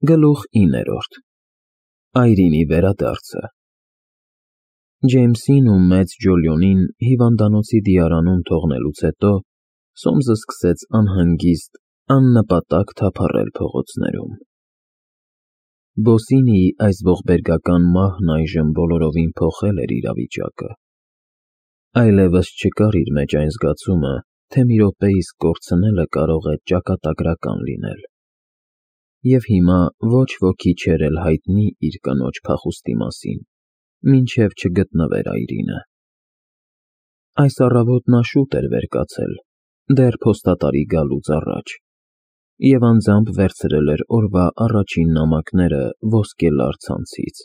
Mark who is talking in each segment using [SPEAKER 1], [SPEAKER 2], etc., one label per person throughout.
[SPEAKER 1] Գլուխ 9. Այրինի վերադարձը։ Ջեյմսին ու մեծ Ջոլիոնին հիվանդանոցի դիարանում թողնելուց հետո Սոմսը սկսեց անհանգիստ, աննպատակ թափառել փողոցներում։ Բոսինիի այս ողբերգական մահն այժմ բոլորովին փոխել էր իրավիճակը։ Այլևս չկար իր մեջ այն զգացումը, թե մի րոպե իսկ կորցնելը կարող է ճակատագրական լինել։ Եվ հիմա ոչ ոքի չէր էլ հայտնի իր կնոջ փախուստի մասին, մինչև չգտնվեր Այրինը։ Այս առավոտ նա շուտ էր վեր կացել, դեռ փոստատարի գալուց առաջ, և անձամբ վերցրել էր օրվա առաջին նամակները ոսկելար ցանցից։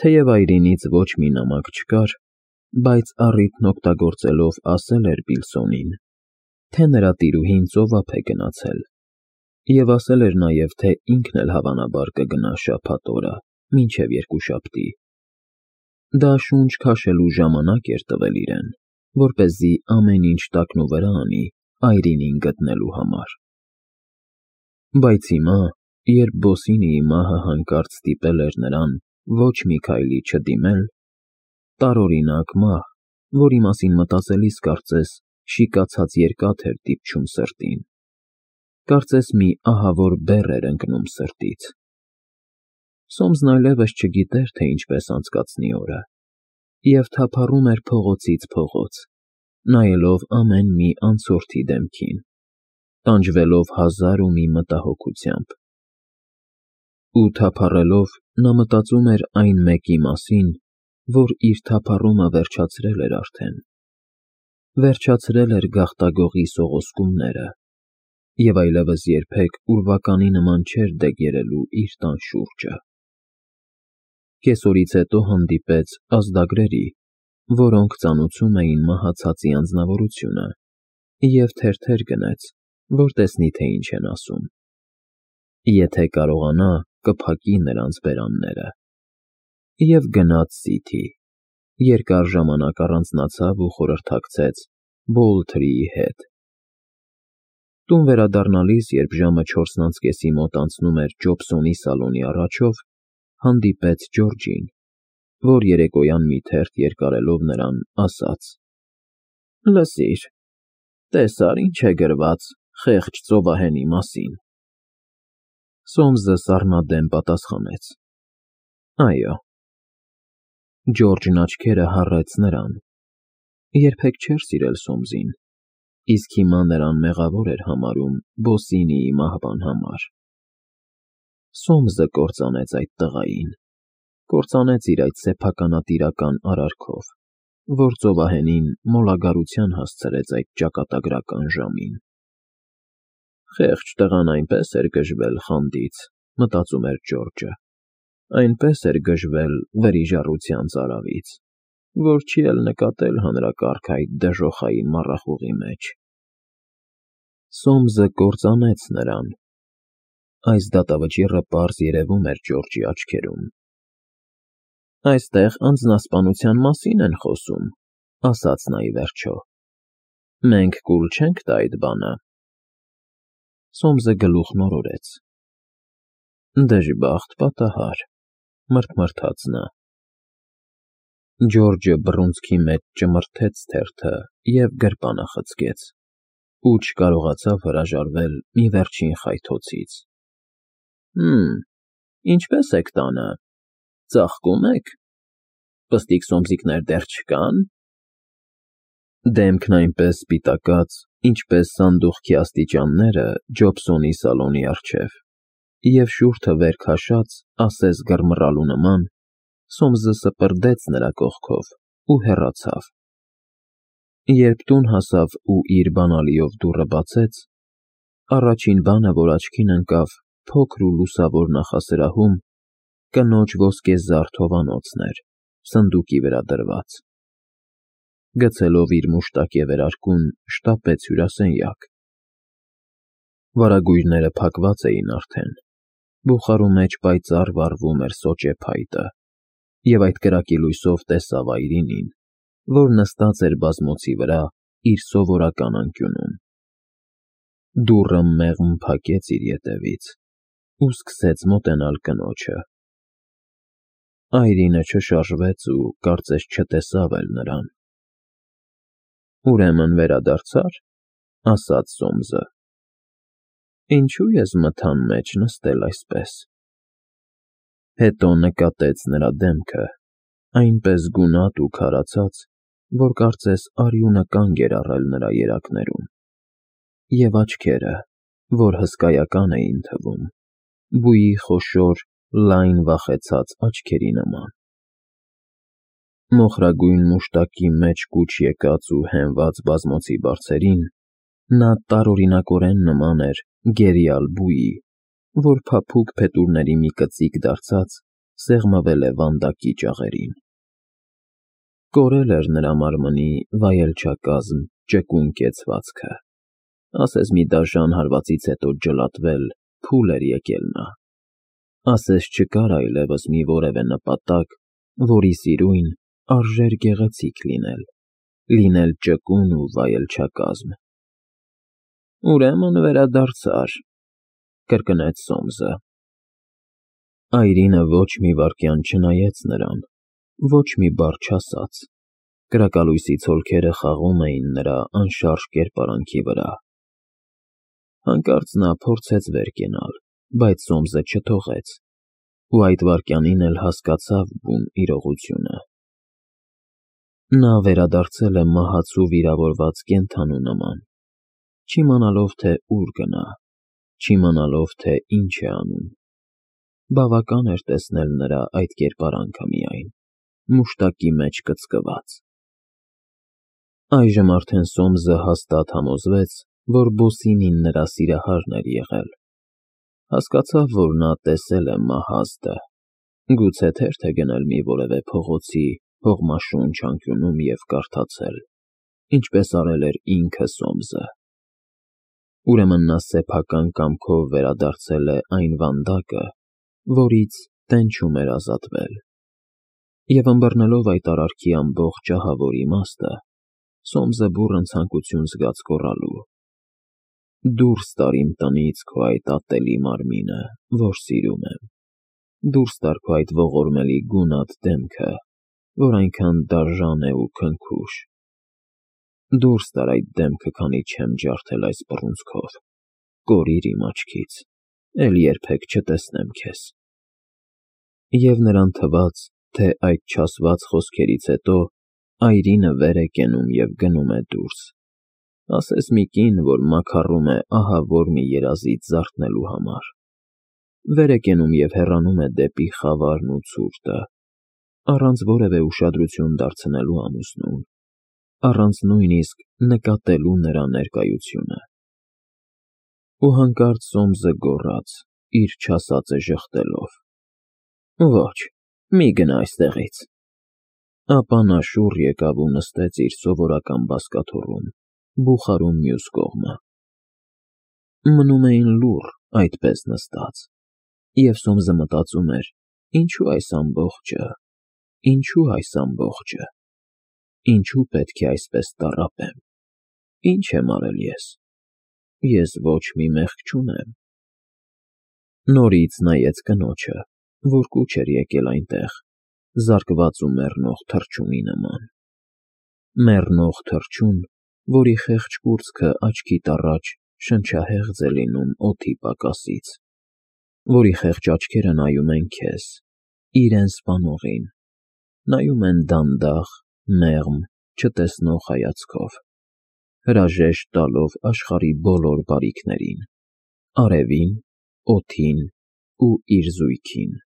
[SPEAKER 1] Թեև Այրինից ոչ մի նամակ չկար, բայց առիթն օգտագործելով ասել էր Բիլսոնին, թե նրա տիրուհին ծովափ է գնացել, և ասել էր նաև, թե ինքն էլ հավանաբար կգնա շաբաթ օրը, մինչև երկուշաբթի։ Դա շունչ քաշելու ժամանակ էր տվել իրեն, որպեսզի ամեն ինչ տակնուվրա անի Այրինին գտնելու համար։ Բայց հիմա, երբ Բոսինիի մահը հանկարծ ստիպել էր նրան ոչ մի քայլի չդիմել, տարօրինակ մահ, որի մասին մտածելիս կարծես շիկացած երկաթ էր դիպչում սրտին, կարծես մի ահավոր բեռ էր ընկնում սրտից։ Սոմսն այլևս չգիտեր, թե ինչպես անցկացնի օրը, և թափառում էր փողոցից փողոց, նայելով ամեն մի անցորդի դեմքին, տանջվելով հազար ու մի մտահոգությամբ։ Ու թափառելով նա մտածում էր այն մեկի մասին, որ իր թափառումը վերջացրել էր արդեն, վերջացրել էր գաղտագողի սողոսկումները, և այլևս երբեք ուրվականի նման չէր դեգերելու իր տան շուրջը։ Կեսօրից հետո հանդիպեց ազդագրերի, որոնք ծանուցում էին մահացածի անձնավորությունը, և թերթեր գնեց, որ տեսնի, թե ինչ են ասում։ Եթե կարողանա, կփակի նրանց բերանները։ Եվ գնաց Սիթի, երկար ժամանակ առանձնացավ ու խորհրդակցեց Բոլթրիի հետ։ Տուն վերադառնալիս, երբ ժամը 4:30-ի մոտ անցնում էր Ջոբսոնի սալոնի առաջով, հանդիպեց Ջորջին, որ երեկոյան մի թերթ երկարելով նրան, ասաց. «Լսիր, տեսա՞ր ինչ է գրված խեղճ ծովահենի մասին»։ Սոմսը սառնադեմ պատասխանեց. «Այո»։ Ջորջն աչքերը հառեց նրան. երբեք չէր սիրել Սոմսին, իսկ հիմա նրան մեղավոր էր համարում Բոսինիի մահվան համար։ Սոմսը կործանեց այդ տղային, կործանեց իր այդ սեփականատիրական արարքով, որ ծովահենին մոլագարության հասցրեց այդ ճակատագրական ժամին։ Խեղճ տղան այնպես էր գժվել խանդից, մտածում էր Ջորջը, այնպես էր գժվել վրիժառության ծարավից, որ չի էլ նկատել հանրակարգ այդ դժոխային մառախուղի մեջ։ Սոմսը կործանեց նրան։ Այս դատավճիռը պարզ երևում էր Ջորջի աչքերում։ «Այստեղ անձնասպանության մասին են խոսում», ասաց նա ի վերջո։ «Մենք կուլ չենք տա այդ բանը»։ Սոմսը գլուխն օրորեց։ «Դժբախտ պատահար», մռթմռթաց նա։ Ջորջը բռունցքի մեջ ճմրթեց թերթը և գրպանը խցկեց, ու չկարողացավ հրաժարվել մի վերջին խայթոցից։ Ինչպե՞ս եք տանը, ծաղկո՞ւմ եք, պստիկ սոմսիկներ դեռ չկա՞ն։ Դեմքն այնպես սպիտակած, ինչպես սանդուղքի աստիճանները Ջոբսոնի սալոնի առջև, և շուրթը վեր քաշած, ասես գռմռալու նման, Սոմսը սպրդեց նրա կողքով ու հեռացավ։ Երբ տուն հասավ ու իր բանալիով դուռը բացեց, առաջին բանը, որ աչքին ընկավ փոքր ու լուսավոր նախասրահում, կնոջ ոսկեզարդ հովանոցն էր, սնդուկի վրա դրված։ Գցելով իր մուշտակ և վերարկուն, շտապեց հյուրասենյակ։ Վարագույրները փակված էին արդեն, բուխարու մեջ պայծառ վառվում էր սոճե փայտը, և այդ կրակի լույսով տեսավ Այրինին, որ նստած էր բազմոցի վրա իր սովորական անկյունում։ Դուռը մեղմ փակեց իր ետևից, ու սկսեց մոտենալ կնոջը։ Այրինը չշարժվեց ու կարծես չտեսավ էլ նրան։ Ուրեմն վերադարձա՞ր, ասաց Սոմսը։ Ինչու ես մթան մեջ նստել այսպես։ Հետո նկատեց նրա դեմքը, այնպես գունատ ու քարացած, որ կարծես արյունը կանգ էր առել նրա երակներում, և աչքերը, որ հսկայական էին թվում, բույի խոշոր, լայն վախեցած աչքերի նման։ Մոխրագույն մուշտակի մեջ կուչ եկած ու հենված բազմոցի բարձերին նա տարօրինակորեն նման էր գերիալ բույի, որ փափուկ փետուրների մի կծիկ դարձած սեղմվել է վանդակի ճաղերին։ Կորել էր նրա մարմնի վայելչակազմ ճկուն կեցվածքը, ասես մի դաժան հարվածից հետո ջլատվել փուլ էր եկել նա, ասես չկար այլևս մի որևէ նպատակ, որի սիրուն արժեր գեղեցիկ լինել ճկուն ու վայելչակազմ։ Ուրեմն վերադարձար, կրկնեց Սոմսը։ Այրինը ոչ մի վայրկյան չնայեց նրան, ոչ մի բառ չասաց, կրակալույսի ցոլքերը խաղում էին նրա անշարժ կերպարանքի վրա։ Հանկարծ նա փորձեց վեր կենալ, բայց Սոմսը չթողեց, ու այդ վայրկյանին էլ հասկացավ բուն իրողությունը։ Նա վերադարձել է մահացու վիրավորված կենդանու նման, չիմանալով, թե ուր գնա, չիմանալով, թե ինչ է անում։ Բավական էր տեսնել նրա այդ կերպարանքը միայն, մուշտակի մեջ կծկված։ Այժմ արդեն Սոմսը հաստատ համոզվեց, որ Բոսինին նրա սիրահարն էր եղել։ Հասկացավ, որ նա տեսել է մահազդը, գուցե թերթ է գնել մի որևէ փողոցի հողմաշունչ անկյունում և կարդացել, ինչպես արել էր ինքը Սոմսը։ Ուրեմն նա սեփական կամքով վերադարձել է այն վանդակը, որից տենչում էր ազատվել, և ըմբռնելով այդ արարքի ամբողջ ահավոր իմաստը, Սոմսը բուռն ցանկություն զգաց գոռալու. «Դուրս տար իմ տնից քո այդ ատելի մարմինը, որ սիրում եմ, դուրս տար քո այդ ողորմելի գունատ դեմքը, որ այնքան դաժան է ու քնքուշ, դուրս տար այդ դեմքը, քանի չեմ ջարդել այս բռունցքով, կորիր իմ աչքից, էլ երբեք չտեսնեմ քեզ»։ Եվ նրան թվաց, թե այդ չասված խոսքերից հետո այրինը վեր է կենում և գնում է դուրս, ասես մի կին, որ մաքառում է ահավոր մի երազից զարթնելու համար, վեր է կենում և հեռանում է դեպի խավարն ու ցուրտը, առանց որևէ ուշադրություն դարձնելու ամուսնուն, առանց նույնիսկ նկատելու նրա ներկայությունը։ Ու հանկարծ Սոմսը գոռաց, իր չասածը ժխտելով. «Ոչ, մի գնա այստեղից»։ Ապա նա շուռ եկավ ու նստեց իր սովորական բազկաթոռում, բուխարու մյուս կողմը։ Մնում էին լուռ այդպես նստած, և Սոմսը մտածում էր. ինչու այս ամբողջը, ինչու պետք է այսպես տառապեմ, ինչ եմ արել ես ոչ մի մեղք չունեմ։ Նորից նայեց կնոջը, որ կուչ էր եկել այնտեղ, զարկված ու մեռնող թռչունի նման։ Մեռնող թռչուն, որի խեղճ կուրծքը աչքիդ առաջ շնչահեղձ է լինում օդի պակասից, որի խեղճ աչքերը նայում են քեզ, իրեն սպանողին, նայում են դանդաղ, մեղմ, չտեսնող հայացքով, հրաժեշտ տալով աշխարհի բոլոր բարիքներին, արևին, օդին ու իր զույգին։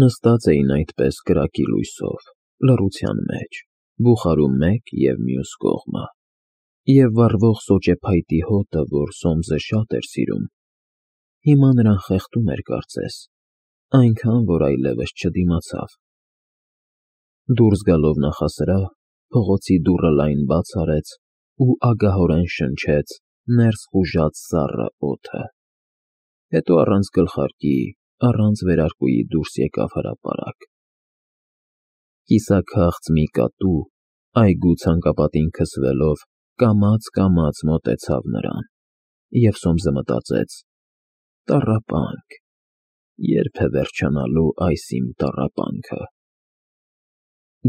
[SPEAKER 1] Նստած էին այդպես կրակի լույսով, լռության մեջ, բուխարու մեկ և մյուս կողմը, և վառվող սոճեփայտի հոտը, որ Սոմսը շատ էր սիրում, հիմա նրան խեղդում էր կարծես, այնքան, որ այլևս չդիմացավ։ Դուրս գալով նախասրահ, փողոցի դուռը լայն բաց արեց ու ագահորեն շնչեց ներս խուժած սառը օդը։ Հետո առանց գլխարկի, առանց վերարկուի դուրս եկավ հրապարակ։ Կիսաքաղց մի կատու, այգու ցանկապատին քսվելով, կամաց մոտեցավ նրան, և Սոմսը մտածեց. Տառապանք, երբ է վերջանալու այս իմ տառապանքը։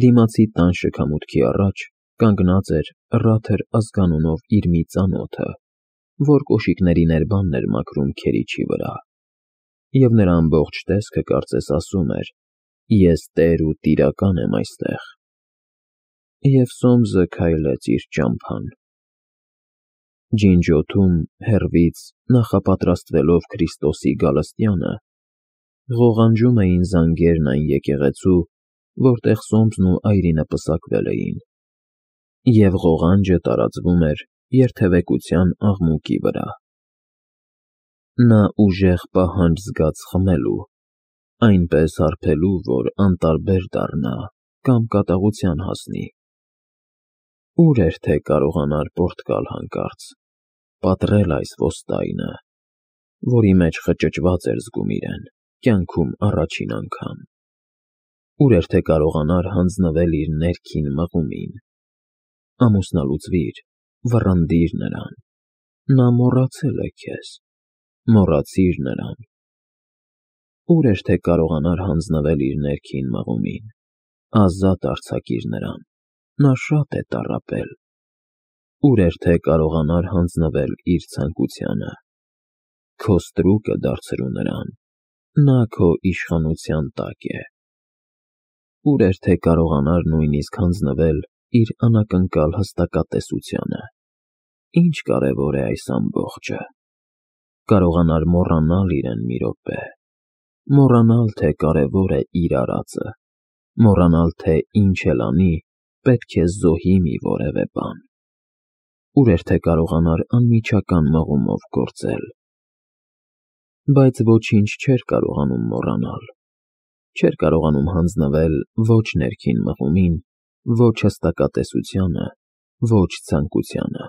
[SPEAKER 1] Դիմացի տան շքամուտքի առաջ կանգնած էր Ռաթեր ազգանունով իր մի ծանոթը, որ կոշիկների ներբանն էր մաքրում քերիչի վրա, և նրա ամբողջ տեսքը կարծես ասում էր. «Ես տեր ու տիրական եմ այստեղ»։ Եվ Սոմսը քայլեց իր ճամփան։ Ջինջոթում, հեռվից, նախապատրաստվելով Քրիստոսի գալստյանը, ղողանջում էին զանգերն այն եկեղեցու, որտեղ Սոմսն ու այրինը պսակվել էին, և ղողանջը տարածվում էր երթևեկության աղմուկի վրա։ Նա ուժեղ պահանջ զգաց խմելու, այնպես հարբելու, որ անտարբեր դառնա կամ կատաղության հասնի։ Ուր էր թե կարողանար պորտկալ հանկարծ, պատռել այս ոստայնը, որի մեջ խճճված էր զգում իրեն, կյանքում առաջին անգամ։ Ուր էր թե կարողանար հանձնվել իր ներքին մղումին։ Ամուսնալուծվիր, վռնդիր նրան, նա մոռացել է քեզ, մոռացիր նրան։ Ուր էր թե կարողանար հանձնվել իր ներքին մղումին, ազատ արձակիր նրան, նա շատ է տառապել։ Ուր էր թե կարողանար հանձնվել իր ցանկությանը, քո ստրուկը դարձրու նրան, նա քո իշխանության տակ է։ Ուր էր թե կարողանար նույնիսկ հանձնվել իր անակնկալ հստակատեսությանը, ինչ կարևոր է այս ամբողջը, կարողանար մոռանալ իրեն մի րոպե, մոռանալ, թե կարևոր է իր արածը, մոռանալ, թե ինչ էլ անի, պետք է զոհի մի որևէ բան։ Ուր էր թե կարողանար անմիջական մղումով գործել։ Բայց ոչինչ չէր կարողանում մոռանալ, չէր կարողանում հանձնվել ոչ ներքին մղումին, ոչ հստակատեսությանը, ոչ ցանկությանը։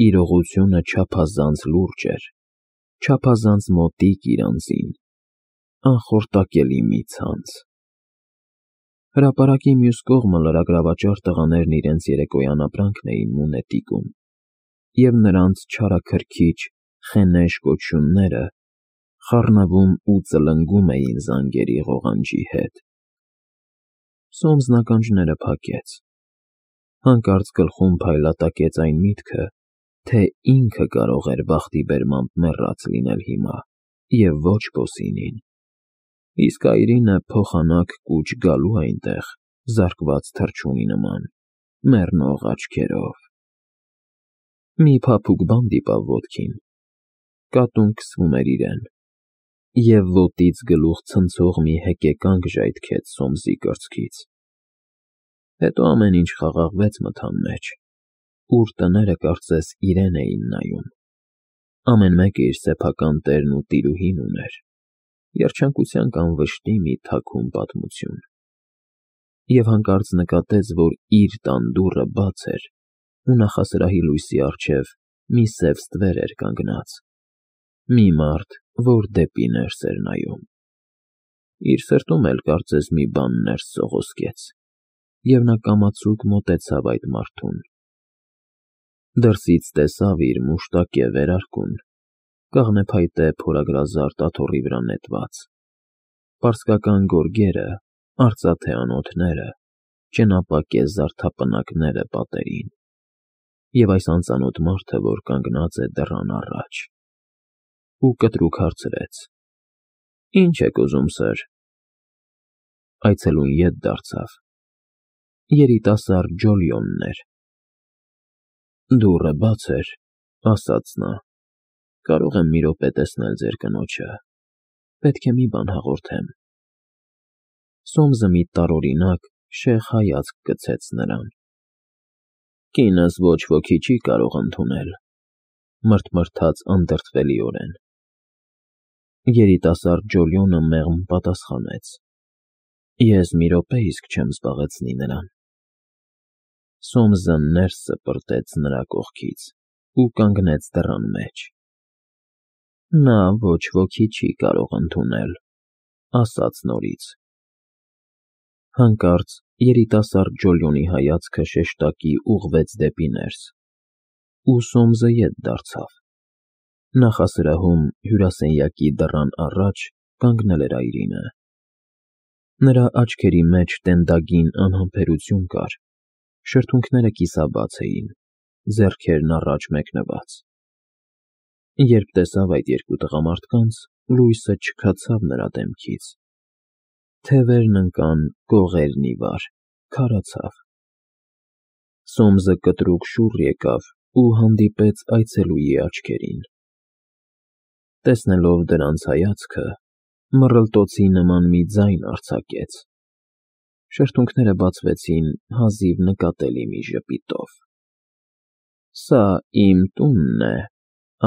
[SPEAKER 1] Իրողությունը չափազանց լուրջ էր, չափազանց մոտիկ իր անձին, անխորտակելի մի ցանց։ Հրապարակի մյուս կողմը լրագրավաճառ տղաներն իրենց երեկոյան ապրանքն էին մունետիկում, և նրանց չարաքրքիջ, խենեշ կոչյունները խառնվում ու ծլնգում էին զանգերի ղողանջի հետ։ Սոմսն ականջները փակեց, հանկարծ գլխում փայլատակեց այն միտքը, թե ինքը կարող էր բախտի բերմամբ մեռած լինել հիմա, և ոչ Բոսինին, իսկ այրինը փոխանակ կուչ գալու այնտեղ, զարկված թռչունի նման, մեռնող աչքերով։ Մի փափուկ բան դիպավ ոտքին, կատուն քսվում էր իրեն, և ոտից գլուխ ցնցող մի հեկեկանք ժայթքեց Սոմսի կրծքից։ Հետո ամեն ինչ խաղաղվեց մթան մեջ, ուր տները կարծես իրեն էին նայում։ Ամեն մեկը իր սեփական տերն ու տիրուհին ուներ, երջանկության կամ վշտի մի թաքուն պատմություն։ Եվ հանկարծ նկատեց, որ իր տան դուռը բաց էր, ու նախասրահի լույսի առջև մի սև ստվեր էր կանգնած, մի մարդ, որ դեպի ներս էր նայում։ Իր սրտում էլ կարծես մի բան ներս սողոսկեց, և նա կամացուկ մոտեցավ այդ մարդուն։ Դրսից տեսավ իր մուշտակե վերարկուն, կաղնեփայտե փորագրազարդ աթոռի վրա նետված, պարսկական գորգերը, արծաթե անոթները, ճենապակե զարդապնակները պատերին, և այս անծանոթ մարդը, որ կանգնած է դռան առաջ, ու կտրուկ հարցրեց. «Ինչ եք ուզում, սըր»։ Այցելուն ետ դարձավ։ Երիտասարդ Ջոլիոնն էր։ «Դուռը բաց էր», ասաց նա, «կարող եմ մի րոպե տեսնել ձեր կնոջը, պետք է մի բան հաղորդեմ»։ Սոմսը մի տարօրինակ, շեղ հայացք գցեց նրան։ «Կինս ոչ ոքի չի կարող ընդունել», մրթմրթաց անդրդվելիորեն։ Երիտասարդ Ջոլիոնը մեղմ պատասխանեց. «Ես մի րոպե իսկ չեմ զբաղեցնի նրան»։ Սոմսը ներս սպրտեց նրա կողքից ու կանգնեց դռան մեջ։ «Նա ոչ ոքի չի կարող ընդունել», ասաց նորից։ Հանկարծ երիտասարդ Ջոլիոնի հայացքը շեշտակի ուղղվեց դեպի ներս, ու Սոմսը ետ դարձավ։ Նախասրահում հյուրասենյակի դռան առաջ կանգնել էր Այրինը։ Նրա աչքերի մեջ տենդագին անհամբերություն կար, շրթունքները կիսաբաց էին, ձեռքերն առաջ մեկնված։ Երբ տեսավ այդ երկու տղամարդկանց, լույսը չքացավ նրա դեմքից։ Թևերն ընկան կողերն ի վար, քարացավ։ Սոմսը կտրուկ շուռ եկավ ու հանդիպեց այցելուի աչքերին։ Տեսնելով դրանց հայացքը, մռլտոցի նման մի ձայն արձակեց։ Շրթունքները բացվեցին հազիվ նկատելի մի ժպիտով։ «Սա իմ տունն է»,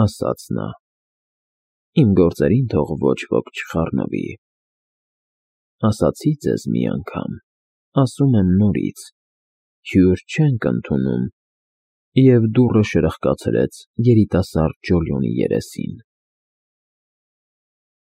[SPEAKER 1] ասաց նա։ «Իմ գործերին թող ոչ ոք չխառնվի։ Ասացի ձեզ մի անգամ, ասում եմ նորից. հյուր չենք ընդունում», և դուռը շրխկացրեց երիտասարդ Ջոլիոնի երեսին։